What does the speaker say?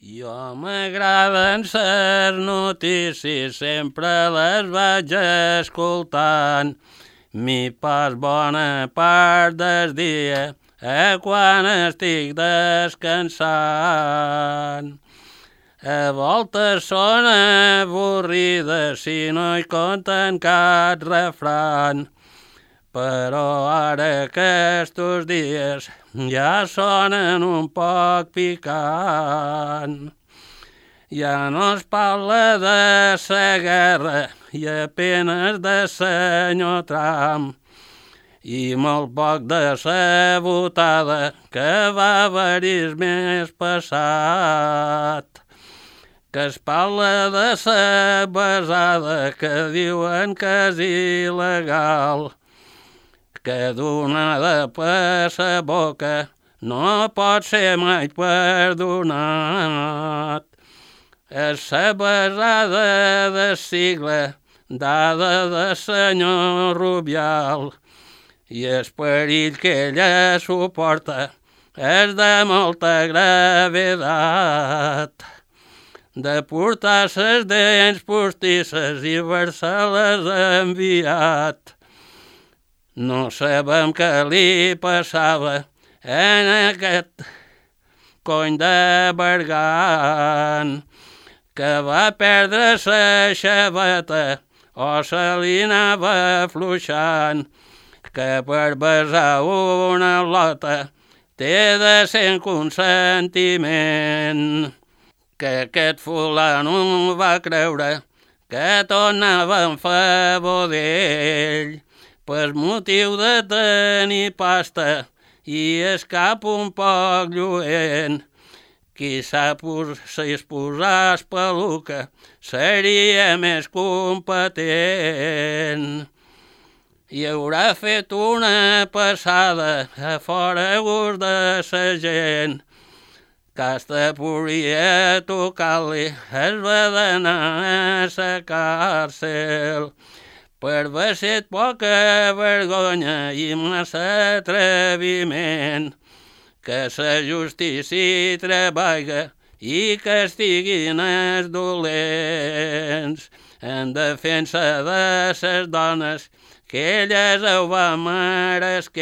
Jo m'agraden ses notícies, sempre les vaig escoltant. Mi pas bona part del dia quan estic descansant. A voltes són avorrides si no hi conten cap refran, però ara aquests dies ja sonen un poc picant. Ja no es parla de la guerra i apenes de senyor Trump, i molt poc de la votada que va haver-hi el mes passat. Que es parla de la besada que diuen que és il·legal, que donada per la boca no pot ser mai perdonat. És la besada de sigle dada de senyor Rubial, i el perill que ella suporta és de molta gravedat. De portar ses dents postisses i haver-se-les enviat. No sabem què li passava en aquest cony de Bergan, que va perdre la xaveta o se li anava afluixant, que per besar una lota té de ser consentiment. Que aquest fulano va creure que tornava en favor d'ell, per motiu de tenir pasta i el cap un poc lluent. Qui sap si es posàs peluca seria més competent. I haurà fet una passada a fora gust de sa gent, que hasta podria tocar-li es va d'anar a la càrcel per haver set poca vergonya i massa atreviment. Que la justícia treballa i castiguin els dolents en defensa de les dones que elles ho va meresquent.